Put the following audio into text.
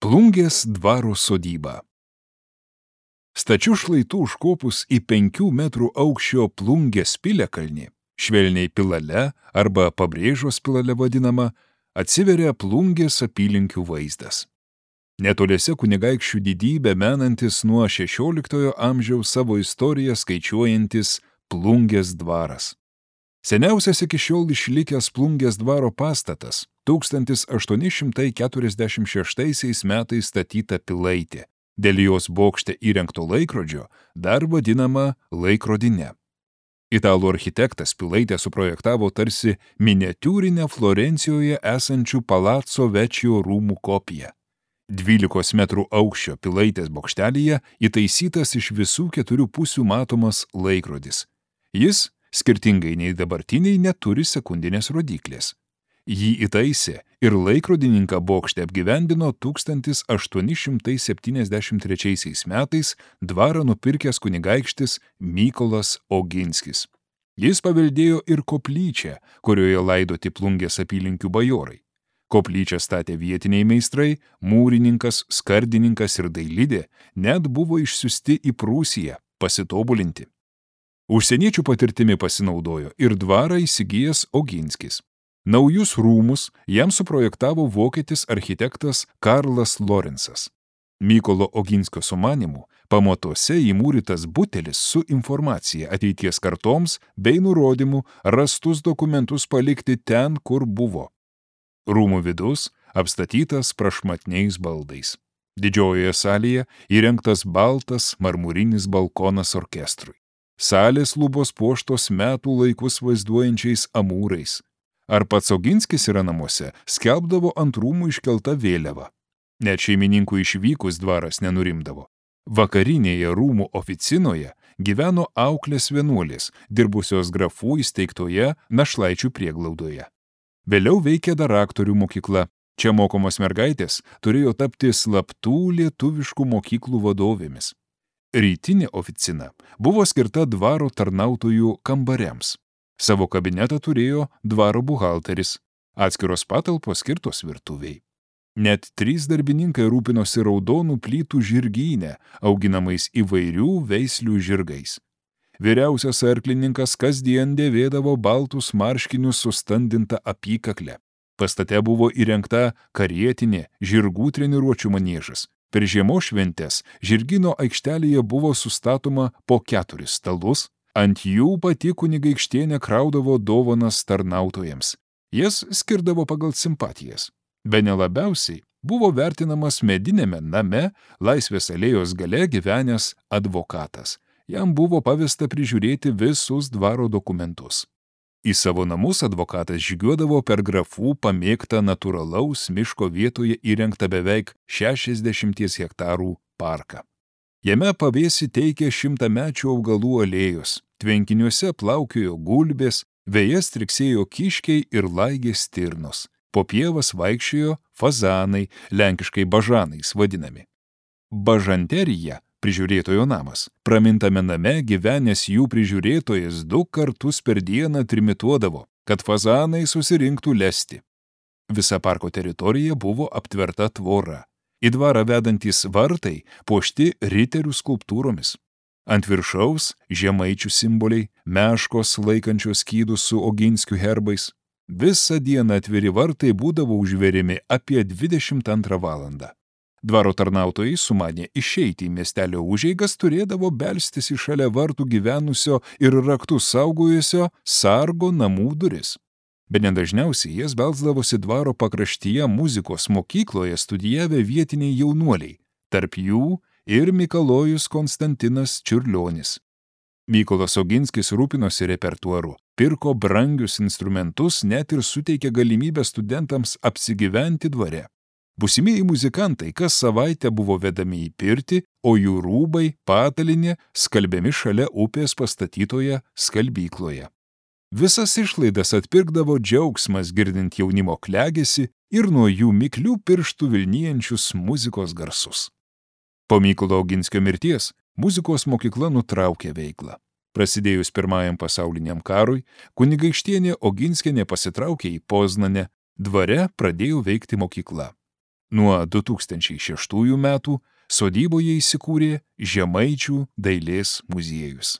Plungės dvaro sodyba. Stačių šlaitų užkopus į 5 metrų aukščio Plungės piliakalnį, švelniai Pilale arba Pabrėžos Pilale vadinama, atsiveria Plungės apylinkių vaizdas. Netoliese kunigaikščių didybę menantis nuo 16 amžiaus savo istoriją skaičiuojantis Plungės dvaras. Seniausias iki šiol išlikęs Plungės dvaro pastatas 1846 metais statyta pilaitė, dėl jos bokšte įrengto laikrodžio dar vadinama laikrodine. Italų architektas pilaitę suprojektavo tarsi miniatiūrinę Florencijoje esančių Palazzo Vecchio rūmų kopiją. 12 metrų aukščio pilaitės bokštelyje įtaisytas iš visų 4 pusių matomas laikrodis. Jis, skirtingai nei dabartiniai, neturi sekundinės rodyklės. Jį įtaisė ir laikrodininką bokšte apgyvendino 1873 metais dvarą nupirkęs kunigaikštis Mykolas Oginskis. Jis paveldėjo ir koplyčią, kurioje laidoti Plungės apylinkių bajorai. Koplyčią statė vietiniai meistrai, mūrininkas, skardininkas ir dailidė, net buvo išsiųsti į Prūsiją pasitobulinti. Užsieniečių patirtimi pasinaudojo ir dvarą įsigijęs Oginskis. Naujus rūmus jam suprojektavo vokietis architektas Karlas Lorenzas. Mykolo Oginskio sumanymu pamatuose įmūrytas butelis su informacija ateities kartoms bei nurodymu rastus dokumentus palikti ten, kur buvo. Rūmų vidus apstatytas prašmatniais baldais. Didžiojoje salėje įrengtas baltas marmurinis balkonas orkestrui. Salės lubos puoštos metų laikus vaizduojančiais amūrais. Ar pats Oginskis yra namuose, skelbdavo ant rūmų iškelta vėliava. Net šeimininkų išvykus dvaras nenurimdavo. Vakarinėje rūmų oficinoje gyveno auklės vienuolės, dirbusios grafų įsteigtoje Našlaičių prieglaudoje. Vėliau veikė dar aktorių mokykla. Čia mokomos mergaitės turėjo tapti slaptų lietuviškų mokyklų vadovėmis. Rytinė oficina buvo skirta dvaro tarnautojų kambariams. Savo kabinetą turėjo dvaro buhalteris, atskiros patalpos skirtos virtuviai. Net 3 darbininkai rūpinosi raudonų plytų žirgyne, auginamais įvairių veislių žirgais. Vyriausias arklininkas kasdien dėvėdavo baltus marškinius su standinta apykakle. Pastate buvo įrengta karietinė žirgų treniruočių maniežas. Per žiemos šventes žirgyno aikštelėje buvo sustatoma po 4 stalus, ant jų pati kunigaikštienė kraudavo dovanas tarnautojams. Jas skirdavo pagal simpatijas. Bene labiausiai buvo vertinamas medinėme name Laisvės alėjos gale gyvenęs advokatas. Jam buvo pavesta prižiūrėti visus dvaro dokumentus. Į savo namus advokatas žygiuodavo per grafų pamėgtą natūralaus miško vietoje įrengtą beveik 60 hektarų parką. Jame pavėsį teikė 100-mečių augalų alėjos, tvenkiniuose plaukiojo gulbės, vėjas triksėjo kiškiai ir laigė stirnos. Po pievas vaikščiojo fazanai, lenkiškai bažanais vadinami. Bažanterija, prižiūrėtojo namas. Pramintame name gyvenęs jų prižiūrėtojas 2 kartus per dieną trimituodavo, kad fazanai susirinktų lesti. Visa parko teritorija buvo aptverta tvora. Į dvarą vedantys vartai puošti riterių skulptūromis. Ant viršaus žemaičių simboliai, meškos laikančios skydus su Oginskių herbais. Visą dieną atviri vartai būdavo užveriami apie 22 valandą. Dvaro tarnautojai sumanė išeiti į miestelio užeigas, turėdavo belstis į šalia vartų gyvenusio ir raktus saugojusio sargo namų duris. Bene dažniausiai jas belsdavosi dvaro pakraštyje muzikos mokykloje studijavę vietiniai jaunuoliai, tarp jų ir Mikalojus Konstantinas Čiurlionis. Mykolas Oginskis rūpinosi repertuaru, pirko brangius instrumentus, net ir suteikė galimybę studentams apsigyventi dvare. Būsimieji muzikantai kas savaitę buvo vedami į pirtį, o jų rūbai, patalinė skalbiami šalia upės pastatytoje skalbykloje. Visas išlaidas atpirkdavo džiaugsmas girdint jaunimo klegėsi ir nuo jų miklių pirštų vilnijančius muzikos garsus. Po Mykolo Oginskio mirties muzikos mokykla nutraukė veiklą. Prasidėjus Pirmajam pasauliniam karui, kunigaikštienė Oginskienė pasitraukė į Poznanę, dvare pradėjo veikti mokykla. Nuo 2006 metų sodyboje įsikūrė Žemaičių dailės muziejus.